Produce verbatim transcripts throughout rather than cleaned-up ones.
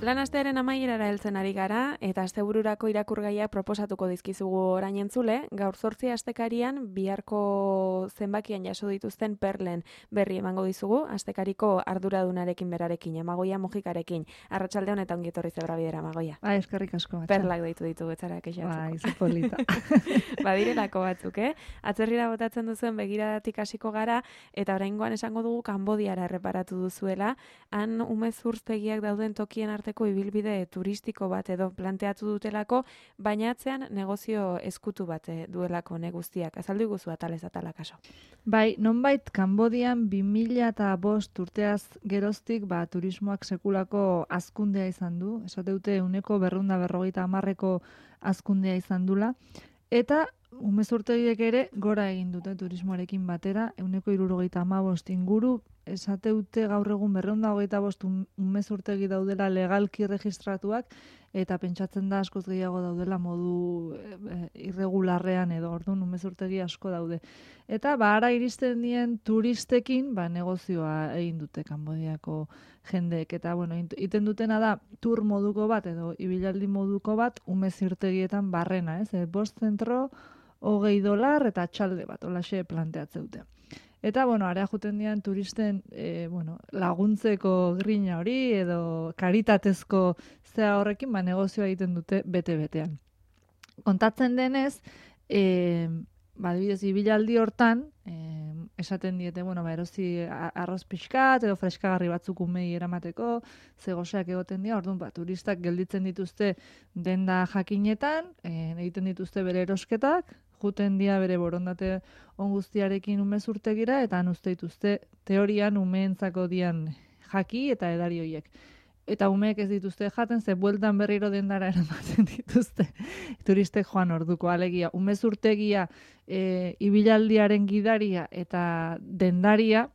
Lan astearen amaierara heltzen ari gara, eta astebururako irakurgaiak proposatuko dizkizugu orain entzule, gaur zortzi astekarian biharko zenbakian jaso dituzten perlen berri emango dizugu, astekariko arduradunarekin berarekin, Amagoia Mojikarekin. Arratsalde honetan ongi etorri zebra bidera, Amagoia. Ba, eskerrik asko. Perlak deitu ditugu, etzara kexatzeko. Ba, izu polita. Badirelako batzuk, eh? Atzerrira botatzen duzuen begiradatik hasiko gara, eta oraingoan esango dugu Kanbodiara erreparatu duzuela, han umezurtegiak dauden tokien arte ibilbide turistiko bat edo planteatu dutelako, baina atzean negozio eskutu bat duelako ne guztiak. Azaldu guzu atalez atala kaso. Bai, nonbait Kanbodian bi mila bost urteaz geroztik ba, turismoak sekulako hazkundea izan du. Esate dute ehuneko berrehun eta berrogeita hamarreko hazkundea izan dula. Eta umezurtegiek ere gora egin dute turismoarekin batera, ehuneko hirurogeita hamabost inguru. Esate dute gaur egun berrehun eta hogeita bost umezurtegi daudela legalki registratuak, eta pentsatzen da askoz gehiago daudela modu e, irregularrean edo, orduan umezurtegi asko daude. Eta ba, ara iristen dien turistekin ba, negozioa egin dute Kanbodiako jendeek. Eta, bueno, iten dutena da tur moduko bat edo ibilaldi moduko bat umezurtegietan barrena, ez? E, bost zentro, hogei dolar eta txalde bat, holaxe planteatze dute. Eta, bueno, area juten dian turisten e, bueno, laguntzeko grina hori edo karitatezko zea horrekin ba, negozioa egiten dute bete-betean. Kontatzen denez, e, ba, adibidez, ibilaldi hortan, e, esaten diete, bueno, ba, erosi arroz pixkat edo freskagarri batzuk umei eramateko, zegoseak egoten dira, orduan, ba, turistak gelditzen dituzte denda jakinetan, e, egiten dituzte bere erosketak, juten dia bere borondate on guztiarekin umezurtegira, eta han uste dituzte teorian umeentzako dian jaki eta edari horiek. Eta umeek ez dituzte jaten, ze bueltan berriro dendara eramaten dituzte. Turistek joan orduko, alegia. Umezurtegia, e, ibilaldiaren gidaria eta dendaria,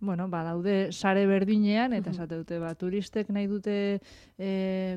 bueno, ba, daude sare berdinean, eta esate dute, ba, turistek nahi dute e,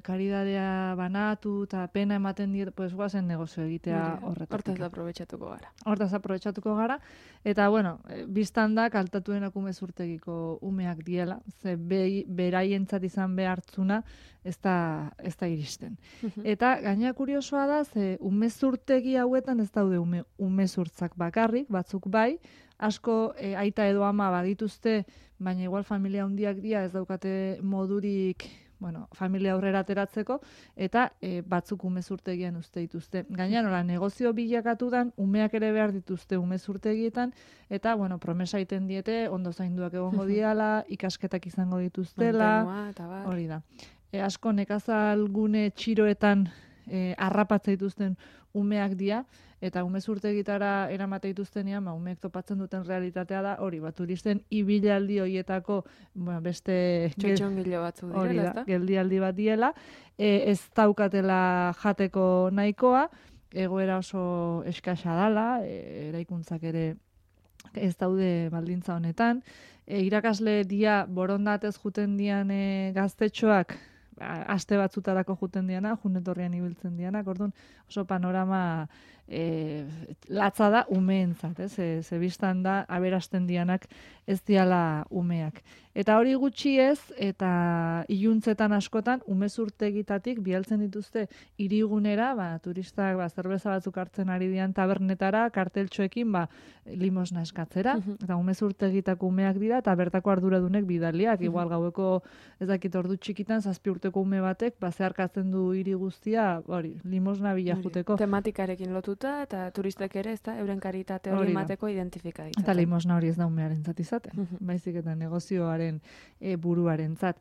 karidadea banatu, eta pena ematen diet, pues, guazen negozio egitea horretatik. Hortaz aprobetxatuko gara. Hortaz aprobetxatuko gara, eta, bueno, biztan da, kaltatuenak umezurtegiko umeak diela, ze be, beraientzat izan behartzuna, ez da, ez da iristen. Eta, gaina kuriosoa da, ze umezurtegi hauetan ez daude ume, umezurtzak bakarrik, batzuk bai, asko e, aita edo ama badituzte, baina igual familia handiak dira ez daukate modurik, bueno, familia aurrera ateratzeko, eta e, batzuk umezurtegian uste dituzte. Gaina nola, negozio bilakatu dan, umeak ere behar dituzte umezurtegietan, eta, bueno, promesa egiten diete, ondo zainduak egongo diala, ikasketak izango dituztela, hori da. E, asko nekazalgune txiroetan e, arrapatza dituzten umeak dira, eta umezurtegitara eramate dituztenean, ba, umeek topatzen duten realitatea da, hori, ba, turisten ibilaldi horietako, bueno, beste txotxongilo batzu direla, ezta? Geldialdi bat diela, e, ez daukatela jateko nahikoa, egoera oso eskasa dala, e, eraikuntzak ere ez daude baldintza honetan, e, irakasle dia borondatez juten dian e, gaztetxoak, aste batzutarako juten diana, junetorrian ibiltzen dianak, orduan oso panorama e, latza da umeentzat, ez? Ze, ze biztan da aberasten dianak ez diala umeak. Eta hori gutxi ez, eta iluntzetan askotan umezurtegitatik bialtzen dituzte hirigunera, ba, turistak ba, zerbeza batzuk hartzen ari dian tabernetara, karteltxoekin ba, limosna eskatzera, eta umezurtegitako umeak dira, eta bertako arduradunek bidaliak, igual gaueko ez dakit ordu txikitan, zazpi urteko ume batek, ba, zeharkatzen du hiri guztia, hori, limosna bila juteko. Tematikarekin lotuta, eta turistek ere, ez da, euren karitate hori emateko identifika ditzaten. Eta limosna hori ez da umearen zatizaten, baizik eta negozioaren e, buruaren zat.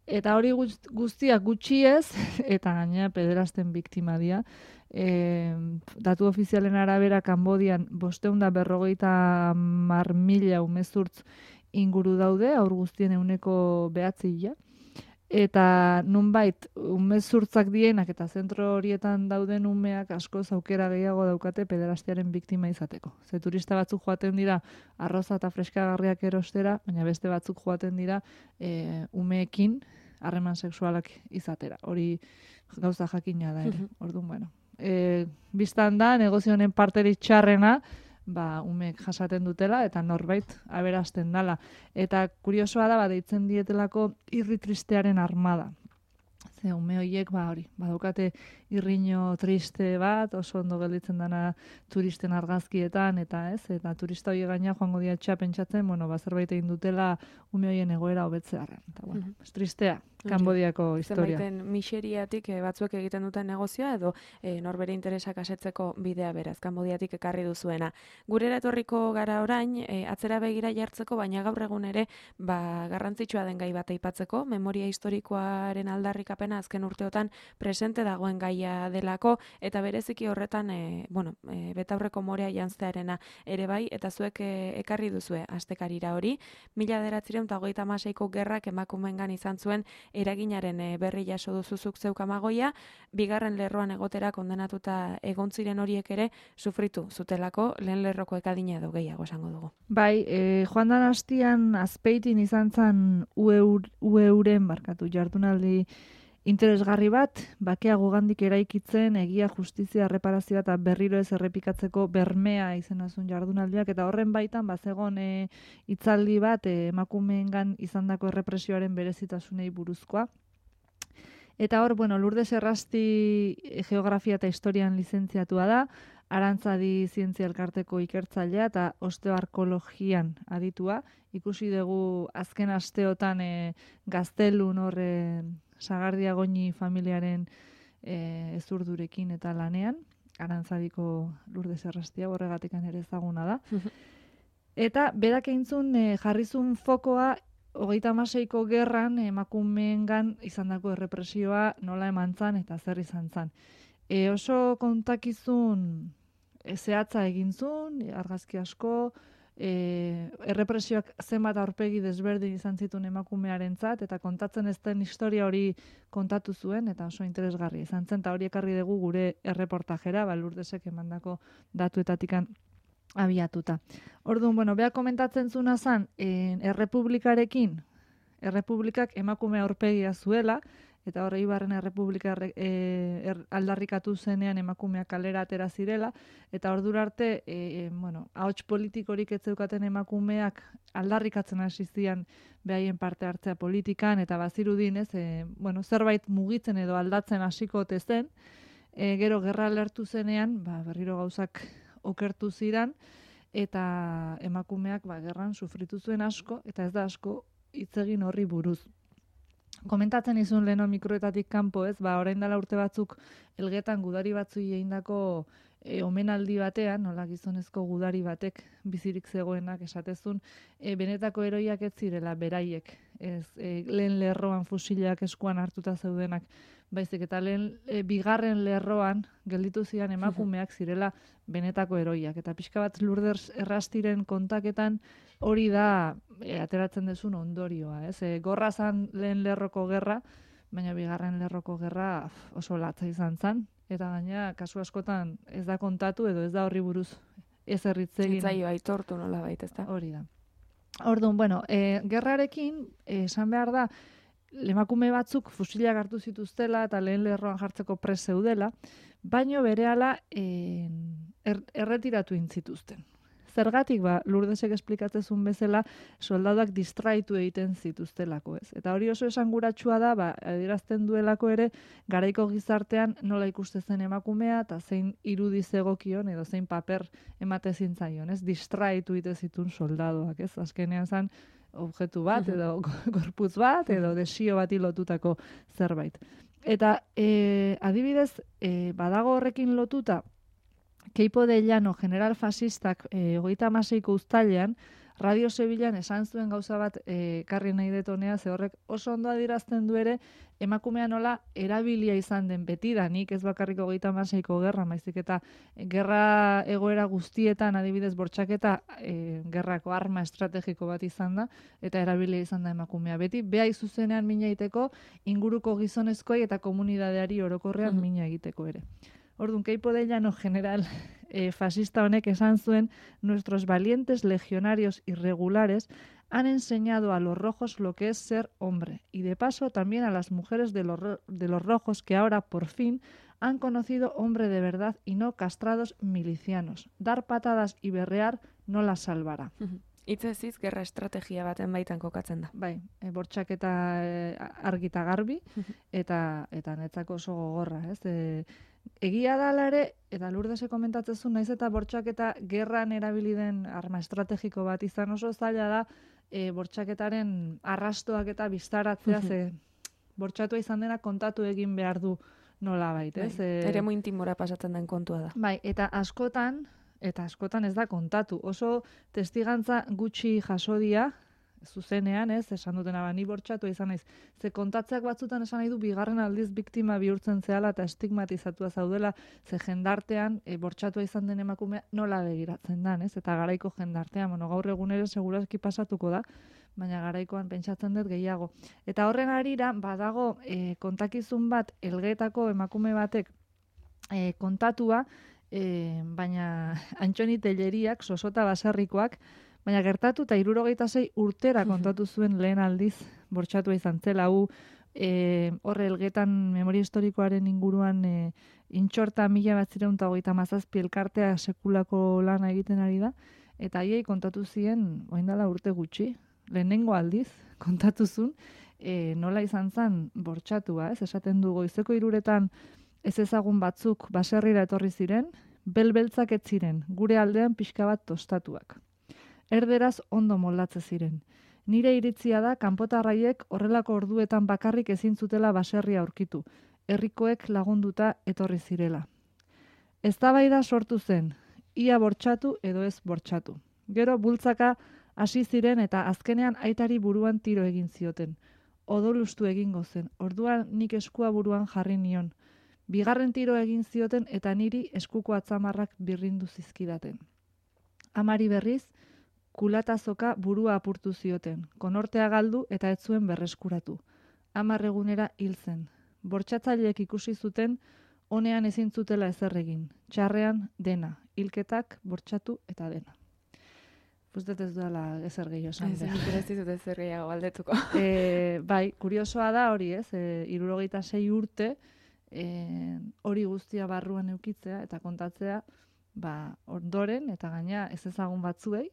Eta hori guztiak gutxi ez, eta gaina pederazten biktima dira. E, datu ofizialen arabera Kanbodian bosteun da berrogeita mar mila umezurtz inguru daude, aur guztien euneko behatzia. Eta nunbait umezurtzak dienak eta zentro horietan dauden umeak asko aukera gehiago daukate pederastiaren biktima izateko. Ze turista batzuk joaten dira arroza eta freskagarriak erostera, baina beste batzuk joaten dira e, umeekin harreman sexualak izatera. Hori gauza jakina da ere. Orduan, bueno. E, biztan da, negozio honen parterik txarrena, ba, umeek jasaten dutela, eta norbait aberasten dala. Eta kuriosoa da, ba, deitzen dietelako irri tristearen armada. Ze ume horiek, ba hori, badukate irriño triste bat, oso ondo gelditzen dana turisten argazkietan, eta ez, eta turista horiek gaina joango dira etxea pentsatzen, bueno, ba, zerbait egin dutela ume horien egoera hobetzearren. Eta, bueno, Mhm. es tristea, Kanbodiako historia. Zenbaiten miseriatik eh, batzuek egiten duten negozioa edo eh, norbere interesak asetzeko bidea beraz, Kanbodiatik ekarri duzuena. Gurera etorriko gara orain, eh, atzera begira jartzeko, baina gaur egun ere ba, garrantzitsua den gai bat aipatzeko, memoria historikoaren aldarrikapena azken urteotan presente dagoen gaia delako, eta bereziki horretan, e, bueno, e, betaurreko morea janztearena ere bai, eta zuek e, ekarri duzue astekarira hori. Mila bederatziehun eta hogeita hamaseiko gerrak emakumeengan izan zuen eraginaren e, berri jaso duzuzuk zeuk Amagoia, bigarren lerroan egotera kondenatuta egon ziren horiek ere sufritu zutelako lehen lerroko ekadina edo gehiago esango dugu. Bai, e, joan dan hastian Azpeitin izan zen U E-ren barkatu jardunaldi interesgarri bat, bakea gugandik eraikitzen, egia, justizia, erreparazioa eta berriro ez errepikatzeko bermea izenazun jardunaldiak, eta horren baitan bazegon e, hitzaldi bat e, emakumeengan izandako errepresioaren berezitasunei buruzkoa. Eta hor, bueno, Lourdes Errasti geografia eta historian lizentziatua da, Arantzadi zientzia elkarteko ikertzailea eta osteoarkologian aditua. Ikusi dugu azken asteotan e, Gaztelun hor e, Sagardia Goñi familiaren e, ezurdurekin eta lanean. Arantzadiko Lourdes Errastia horregatik ere ezaguna da. Eta berak eintzun e, jarrizun fokoa hogeita hamaseiko gerran emakumeengan izandako errepresioa nola emantzan eta zer izan zan. E, oso kontakizun e, zehatza egin zuen, argazki asko, e, errepresioak zenbat aurpegi desberdin izan zituen emakumearentzat eta kontatzen ez den historia hori kontatu zuen, eta oso interesgarri izan zen, eta hori ekarri dugu gure erreportajera, ba, Lourdesek emandako datuetatikan abiatuta. Orduan, bueno, beha komentatzen zuna zan, e, errepublikarekin, errepublikak emakume aurpegia zuela, eta horre Ibarren Errepublika e, er, aldarrikatu zenean emakumeak kalera atera zirela, eta ordura arte, e, bueno, ahots politikorik ez zeukaten emakumeak aldarrikatzen hasi zian behaien parte hartzea politikan, eta bazirudin, ez, e, bueno, zerbait mugitzen edo aldatzen hasiko ote zen, e, gero gerra lertu zenean, ba, berriro gauzak okertu ziran, eta emakumeak ba, gerran sufritu zuen asko, eta ez da asko hitz egin horri buruz. Komentatzen izun leheno mikroetatik kanpo, ez, ba, orain dela urte batzuk elgetan gudari batzui egindako e, omenaldi batean, nola gizonezko gudari batek bizirik zegoenak esatezun, e, benetako eroiak ez zirela beraiek, ez, e, lehen lerroan fusilak eskuan hartuta zeudenak, baizik eta lehen e, bigarren lerroan gelditu ziren emakumeak zirela benetako eroiak. Eta pixka bat Lourdes Errastiren kontaketan hori da e, ateratzen dezun ondorioa. Ez? E, gorra zan lehen lerroko gerra, baina bigarren lerroko gerra oso latza izan zan. Eta gaina kasu askotan ez da kontatu edo ez da horri buruz ez erritzegin. Zitzaio aitortu nola baita, ez da? Hori da. Orduan, bueno, e, gerrarekin esan behar da, emakume batzuk fusilak hartu zituztela eta lehen lerroan jartzeko pres zeudela, baino berehala e, er, erretiratu intzituzten. Zergatik, ba, Lourdesek esplikatzezun bezala, soldaduak distraitu egiten zituztelako, ez. Eta hori oso esanguratsua da, ba, adierazten duelako ere, garaiko gizartean nola ikuste zen emakumea, eta zein irudi zegokion, edo zein paper emate zintzaion, ez. Distraitu egiten zituen soldaduak, ez. Azkenean zan, objektu bat, edo gorputz bat, edo desio bati lotutako zerbait. Eta e, adibidez, e, badago horrekin lotuta, Keipo de Llano, general fascistak, e, hogeita hamaseiko uztailean, Radio Sevillan esan zuen gauza bat e, karri nahi detonea, ze horrek oso ondo adirazten du ere, emakumea nola erabilia izan den betidanik, ez bakarriko hogeita hamaseiko gerra, maizik eta gerra egoera guztietan, adibidez bortxaketa, e, gerrako arma estrategiko bat izan da, eta erabilia izan da emakumea. Beti, beha izuzenean mina egiteko, inguruko gizonezkoi eta komunidadeari orokorrean mm-hmm. mina egiteko ere. Orduan, Keipo de Llano general eh, fascista honek esan zuen, nuestros valientes legionarios irregulares han enseñado a los rojos lo que es ser hombre, y de paso también a las mujeres de los, de los rojos que ahora, por fin, han conocido hombre de verdad y no castrados milicianos. Dar patadas y berrear no las salvará. Hitzez hitz gerra estrategia baten baitan kokatzen da. Bai, e, bortxaketa e, argi eta garbi, eta eta netzako oso gogorra, ez? E, egia dala ere, eta Lurdese komentatzen naiz eta bortxaketa gerran erabili den arma estrategiko bat izan oso zaila da, e, bortxaketaren arrastoak eta biztaratzea, ze bortxatua izan dena kontatu egin behar du nolabait, ez? Bai, E, eremu intimora pasatzen den kontua da. Bai, eta askotan, eta askotan ez da kontatu. Oso testigantza gutxi jaso dira, zuzenean, ez, esan dutena, ba, ni bortxatu izan naiz. Ze kontatzeak batzutan esan nahi du, bigarren aldiz biktima bihurtzen zehala eta estigmatizatua zaudela, ze jendartean, e, bortxatua izan den emakumea nola begiratzen dan, ez? Eta garaiko jendartean, bueno, gaur egun ere segurazki pasatuko da, baina garaikoan pentsatzen dut gehiago. Eta horren harira, badago e, kontakizun bat, elgeetako emakume batek e, kontatua, E, baina Antxoni Telleriak, sosota baserrikoak, baina gertatu eta hirurogeita sei urtera kontatu zuen lehen aldiz bortxatua izan zela. Hu e, horre elgetan memoria historikoaren inguruan e, intxorta mila bat zireun eta hogeita mazazpi elkartea sekulako lana egiten ari da, eta haiei kontatu zien, oindala urte gutxi, lehenengo aldiz kontatu zuen, e, nola izan zen bortxatua, ez? Esaten du goizeko hiruretan ez ezagun batzuk baserrira etorri ziren, belbeltzak ez ziren, gure aldean pixka bat tostatuak. Erderaz ondo moldatze ziren. Nire iritzia da, kanpotarraiek horrelako orduetan bakarrik ezin zutela baserria aurkitu, herrikoek lagunduta etorri zirela. Eztabaida sortu zen, ia bortxatu edo ez bortxatu. Gero bultzaka hasi ziren eta azkenean aitari buruan tiro egin zioten. Odolustu egingo zen, orduan nik eskua buruan jarri nion. Bigarren tiro egin zioten eta niri eskuko atzamarrak birrindu zizkidaten. Amari berriz, kulatazoka burua apurtu zioten, konortea galdu eta ez zuen berreskuratu. Hamar egunera hil zen. Bortxatzaileek ikusi zuten, honean ezin zutela ezer egin. Txarrean dena, hilketak, bortxatu eta dena. Uztet ez duela ezer gehiago esan. Ez, nik ere ez dizut ezer gehiago galdetuko. E, bai, kuriosoa da hori, ez? E, hirurogeita sei urte, E, hori guztia barruan eukitzea eta kontatzea ba, ondoren eta gaina ez ezagun batzuei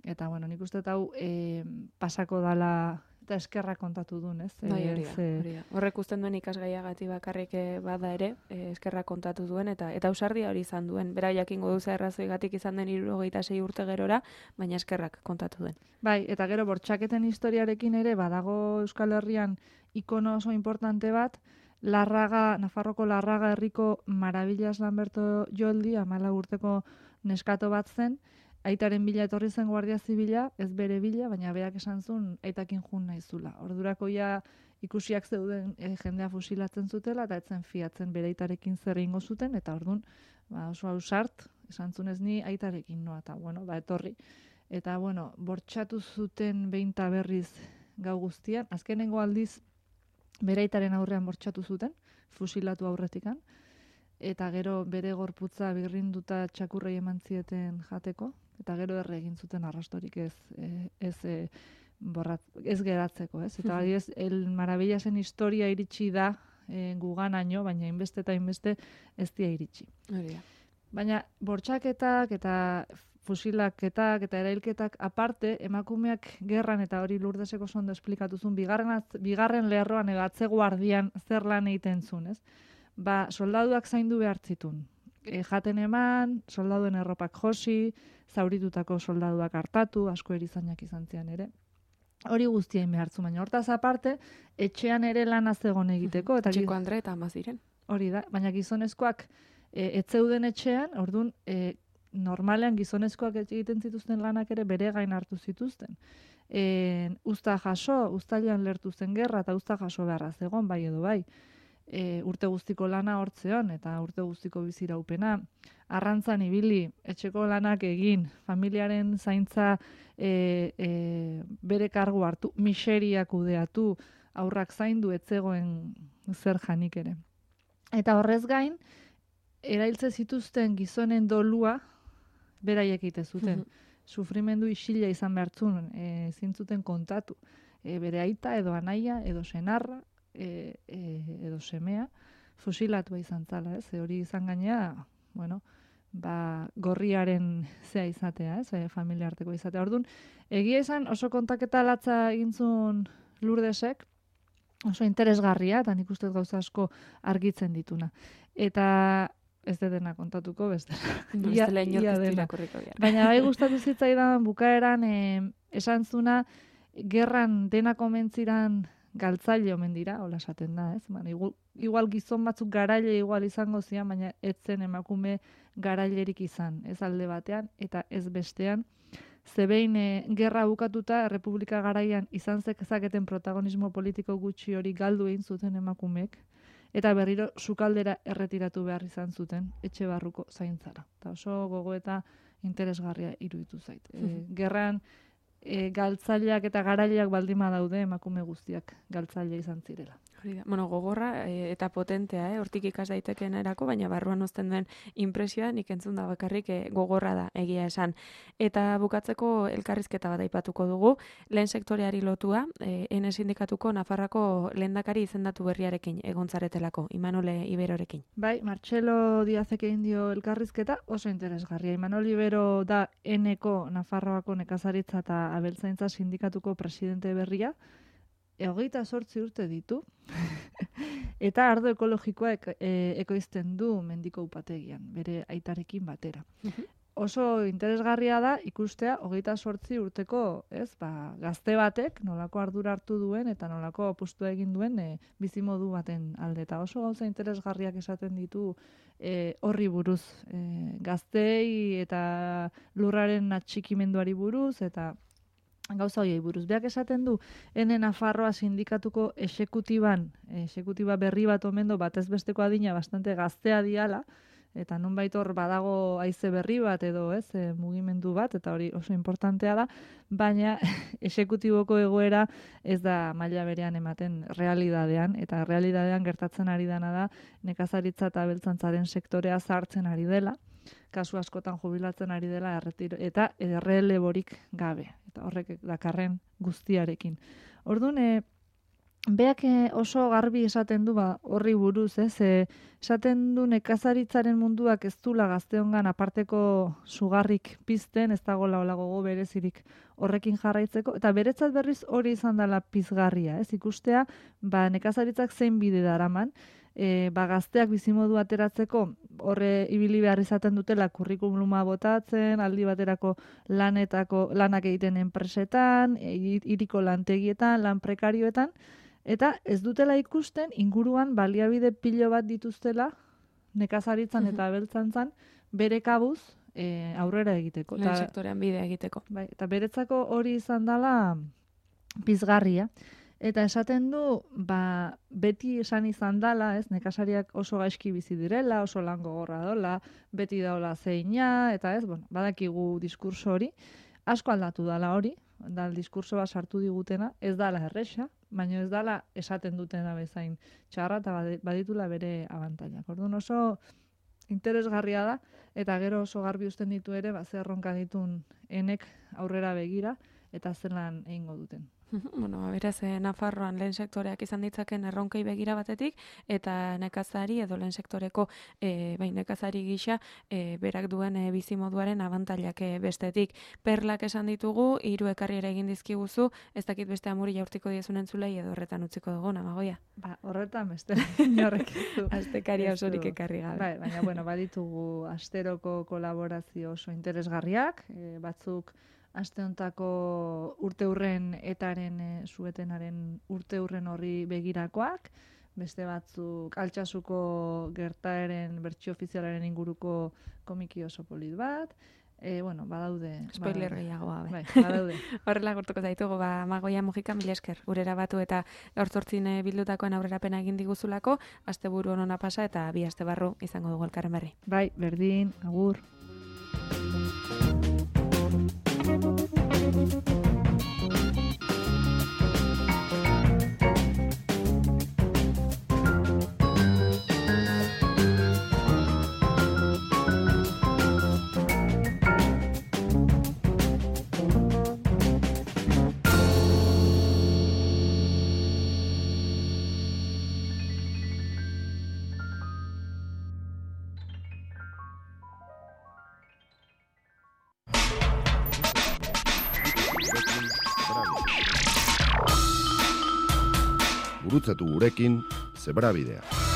eta bueno, nik uste hau e, pasako dala eta eskerra kontatu duen, ez? Bai, hori da, e, hori da. Horrek usten duen ikasgaiagati bakarrik bada ere, e, eskerra kontatu duen eta eta ausardia hori izan duen. Bera jakingo duza errazoigatik izan den hirurogeita sei urte gerora, baina eskerrak kontatu duen. Bai, eta gero bortxaketen historiarekin ere badago Euskal Herrian ikono oso importante bat, Larraga, Nafarroko Larraga herriko Maravillas Lamberto Joldi, amala urteko neskato bat zen, aitaren bila etorri zen guardia zibila, ez bere bila, baina berak esan zuen aitakin jun naizula. Ordurako ja ikusiak zeuden e, jendea fusilatzen zutela, eta etzen fiatzen bere aitarekin zer egingo zuten, eta ordun ba, oso ausart, esan zuen ez ni aitarekin noa, eta bueno, ba, etorri. Eta bueno, bortxatu zuten behinta berriz gau guztian, azkenengo aldiz, bere aitaren aurrean bortxatu zuten, fusilatu aurretikan, eta gero bere gorputza birrinduta txakurrei eman zieten jateko, eta gero erre egin zuten arrastorik ez, ez, ez, borrat, ez geratzeko, ez? Eta hori ez, el Maravillasen historia iritsi da e, guganaino, baina inbeste eta inbeste ez dia iritsi. Hori da. Baina bortxaketak eta fusilaketak eta erailketak aparte, emakumeak gerran eta hori Lurdeseko sondo esplikatuzun, bigarren, bigarren lerroan edo atze guardian zer lan egiten zuen, ez? Ba, soldaduak zaindu behar zitun. E, jaten eman, soldaduen erropak josi, zauritutako soldaduak hartatu, asko erizainak izan zian ere. Hori guztien behartzu, baina hortaz aparte, etxean ere lan azegon egiteko. Eta Txiko Andre eta ama ziren. Hori da, baina gizonezkoak e, etzeuden etxean, ordun e, normalean gizonezkoak egiten zituzten lanak ere bere gain hartu zituzten. E, usta jaso, ustailean lertu zen gerra eta usta jaso beharra zegon, bai edo bai. E, urte guztiko lana hortzeon eta urte guztiko biziraupena. Arrantzan ibili, etxeko lanak egin, familiaren zaintza e, e, bere kargu hartu, miseria kudeatu, aurrak zaindu etzegoen zer janik ere. Eta horrez gain, erailtze zituzten gizonen dolua, beraiek egite zuten. Sufrimendu isila izan behartzun, e, zintzuten kontatu. E, bere aita, edo anaia, edo senarra, e, e, edo semea, fusilatua izan zala, ez? E, hori izan gainea, bueno, ba, gorriaren zea izatea, ez, e, familia arteko izatea. Orduan, egia esan oso kontaketa latza egintzun Lourdesek, oso interesgarria, eta nik uste gauza asko argitzen dituna. Eta ez de dena kontatuko, beste. No, ia, ia dena. Baina bai gustatu zitzaidan bukaeran e, esan zuna, gerran dena komentziran galtzaile omen dira, hola esaten da, ez? Baina, igual, igual gizon batzuk garaile igual izango zian, baina ez zen emakume garailerik izan, ez alde batean, eta ez bestean. Zebein e, gerra bukatuta, Errepublika garaian izan zeketen protagonismo politiko gutxi hori galdu egin zuten emakumeek, eta berriro sukaldera erretiratu behar izan zuten etxe barruko zaintzara. Eta oso gogo eta interesgarria iruditu zait. E, gerran e, galtzaileak eta garaileak baldima daude emakume guztiak galtzaile izan zirela. Bueno, gogorra e, eta potentea, eh? Hortik ikas daiteken erako, baina barruan uzten den impresioa nik entzun da bakarrik e, gogorra da, egia esan. Eta bukatzeko elkarrizketa bat aipatuko dugu, lehen sektoreari lotua, e, Ene sindikatuko Nafarroako lehendakari izendatu berriarekin egontzaretelako, Imanol Iberorekin. Bai, Martxelo Diazek egin dio elkarrizketa, oso interesgarria. Imanol Ibero da Eneko Nafarroako nekazaritza eta abeltzaintza sindikatuko presidente berria, hogeita zortzi urte ditu, eta ardo ekologikoa ek, e, ekoizten du mendiko upategian, bere aitarekin batera. Oso interesgarria da ikustea hogeita zortzi urteko, ez, ba, gazte batek nolako ardura hartu duen eta nolako apustua egin duen e, bizimodu baten alde. Eta oso gauza interesgarriak esaten ditu e, horri buruz, e, gaztei eta lurraren atxikimenduari buruz, eta gauza hoiei buruz. Beak esaten du, Ene Nafarroa sindikatuko exekutiban, exekutiba berri bat omen du, batez besteko adina bastante gaztea diala, eta nonbait hor badago haize berri bat edo, ez, e, mugimendu bat, eta hori oso importantea da, baina exekutiboko egoera ez da maila berean ematen realidadean, eta realidadean gertatzen ari dana da nekazaritza eta abeltzantzaren sektorea zartzen ari dela, kasu askotan jubilatzen ari dela erretiro, eta erreleborik gabe, eta horrek dakarren guztiarekin. Orduan, e, beak oso garbi esaten du ba, horri buruz, ez? E, esaten du nekazaritzaren munduak ez dula gazteongan aparteko sugarrik pizten, ez dagoela hola gogo berezirik horrekin jarraitzeko, eta beretzat berriz hori izan dela pizgarria, ez? Ikustea, ba, nekazaritzak zein bide daraman, E, ba, gazteak bizimodu ateratzeko horre ibili behar izaten dutela kurrikuluma botatzen, aldi baterako lanetako lanak egiten enpresetan, hiriko lantegietan, lan prekarioetan, eta ez dutela ikusten inguruan baliabide pilo bat dituztela nekazaritzan eta abeltzantzan bere kabuz e, aurrera egiteko. Lehen sektorean bidea egiteko. Bai, eta beretzako hori izan dela pizgarria. Eta esaten du, ba, beti esan izan dala, ez, nekazariak oso gaizki bizi direla, oso lan gogorra dola, beti daola zeina, eta ez, bueno, badakigu diskurso hori, asko aldatu dala hori, da diskurso bat sartu digutena, ez dala erresa, baina ez dala esaten dutena bezain txarra, eta baditula bere abantailak. Orduan oso interesgarria da, eta gero oso garbi uzten ditu ere, ba, zer erronka ditun Enek aurrera begira, eta zelan egingo duten. Bueno, beraz, eh, Nafarroan lehen sektoreak izan ditzaken erronkei begira batetik, eta nekazari edo lehen sektoreko eh, bai, nekazari gisa eh, berak duen eh, bizimoduaren abantailak eh, bestetik. Perlak esan ditugu, hiru ekarriera egin dizkiguzu, ez dakit beste amuri jaurtiko diezun entzulei edo horretan utziko dugu, Namagoia? Ba, horretan beste inorrek ez du. Astekaria osorik ekarri gabe. Bai, baina, bueno, baditugu asteroko kolaborazio oso interesgarriak, eh, batzuk aste hontako urteurren etaren e, suetenaren urteurren horri begirakoak, beste batzuk Altsasuko gertaeren bertsio ofizialaren inguruko komiki oso polit bat, e, bueno, badaude. Spoiler gehiagoa, bai, badaude. Horrela gortuko zaitugu, ba, Magoia Mujika, mila esker, urera batu eta gaur zortzin bildutakoen aurrerapena egin diguzulako, asteburu honona pasa eta bi aste barru izango dugu elkarren berri. Bai, berdin, agur. gurutzatu gurekin, Zebrabidea.